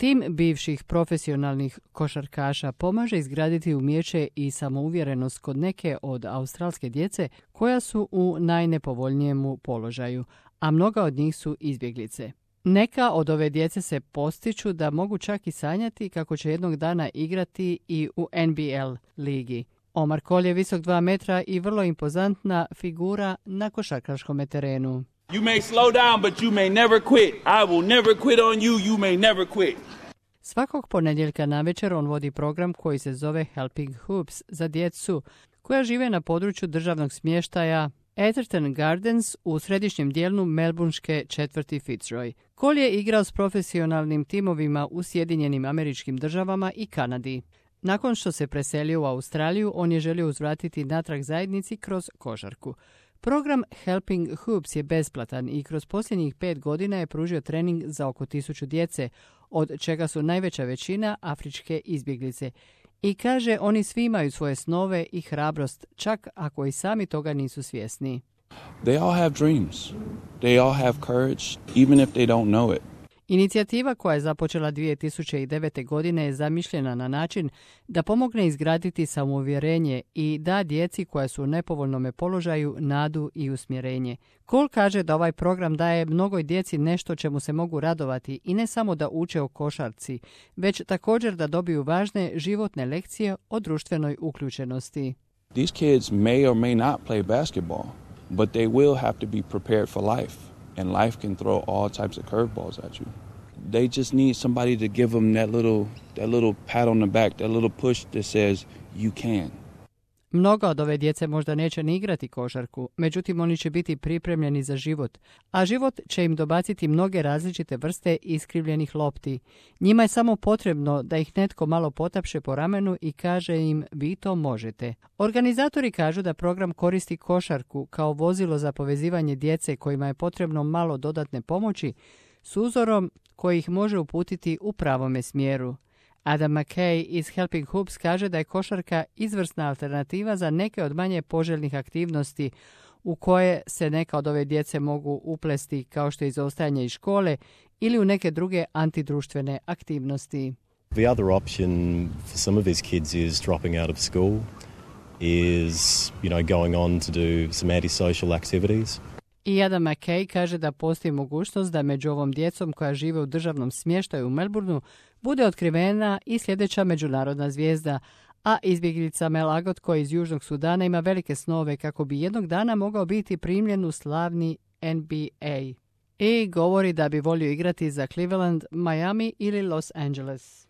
Tim bivših profesionalnih košarkaša pomaže izgraditi umijeće i samouvjerenost kod neke od australske djece koja su u najnepovoljnijemu položaju, a mnoga od njih su izbjeglice. Neka od ove djece se postiču da mogu čak i sanjati kako će jednog dana igrati i u NBL ligi. Omar Cole je visok 2 metra i vrlo impozantna figura na košarkaškom terenu. You may slow down, but you may never quit. I will never quit on you. You may never quit. Svakog ponedjeljka navečer on vodi program koji se zove Helping Hoops za djecu koja žive na području državnog smještaja Atherton Gardens u središnjem dijelu melbourneške četvrti Fitzroy. Cole je igrao s profesionalnim timovima u Sjedinjenim Američkim Državama i Kanadi. Nakon što se preselio u Australiju, on je želio uzvratiti natrag zajednici kroz košarku. Program Helping Hoops je besplatan i kroz posljednjih 5 godina je pružio trening za oko 1000 djece, od čega su najveća većina afričke izbjeglice. I kaže, oni svi imaju svoje snove i hrabrost, čak ako i sami toga nisu svjesni. They all have dreams. They all have courage, even if they don't know it. Inicijativa koja je započela 2009. godine je zamišljena na način da pomogne izgraditi samouvjerenje i da djeci koja su u nepovoljnom položaju nadu i usmjerenje. Cole kaže da ovaj program daje mnogoj djeci nešto čemu se mogu radovati i ne samo da uče o košarci, već također da dobiju važne životne lekcije o društvenoj uključenosti. These kids may or may not play basketball, but they will have to be prepared for life. And life can throw all types of curveballs at you. They just need somebody to give them that little pat on the back, that little push that says you can. Mnoga od ove djece možda neće ni igrati košarku, međutim oni će biti pripremljeni za život, a život će im dobaciti mnoge različite vrste iskrivljenih lopti. Njima je samo potrebno da ih netko malo potapše po ramenu i kaže im vi to možete. Organizatori kažu da program koristi košarku kao vozilo za povezivanje djece kojima je potrebno malo dodatne pomoći s uzorom koji ih može uputiti u pravome smjeru. Adam McKay iz Helping Hoops kaže da je košarka izvrsna alternativa za neke od manje poželjnih aktivnosti u koje se neka od ove djece mogu uplesti kao što je izostajanje iz škole ili u neke druge antidruštvene aktivnosti. The other option for some of these kids is dropping out of school, is, going on to do some antisocial activities. I Adam McKay kaže da postoji mogućnost da među ovom djecom koja žive u državnom smještaju u Melbourneu bude otkrivena i sljedeća međunarodna zvijezda, a izbjeglica Mel Agot koji iz Južnog Sudana ima velike snove kako bi jednog dana mogao biti primljen u slavni NBA. I govori da bi volio igrati za Cleveland, Miami ili Los Angeles.